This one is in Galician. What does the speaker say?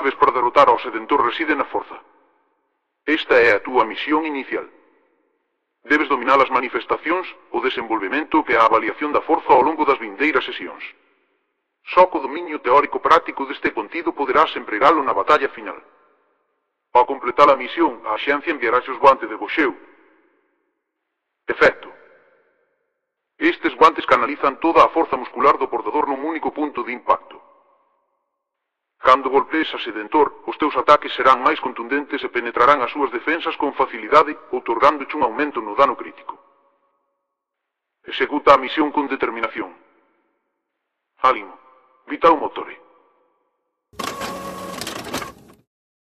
chaves para derrotar ao Sedentor reside na forza. Esta é a túa misión inicial. Debes dominar as manifestacións, o desenvolvemento e a avaliación da forza ao longo das vindeiras sesións. Só co dominio teórico práctico deste contido poderás empregalo na batalla final. Ao completar a misión, a axencia enviarás os guantes de boxeo. Efecto. Estes guantes canalizan toda a forza muscular do portador nun único punto de impacto. Cando golpees a Sedentor, os teus ataques serán máis contundentes e penetrarán as súas defensas con facilidade, outorgándoche un aumento no dano crítico. Executa a misión con determinación. Ánimo, vita o motore.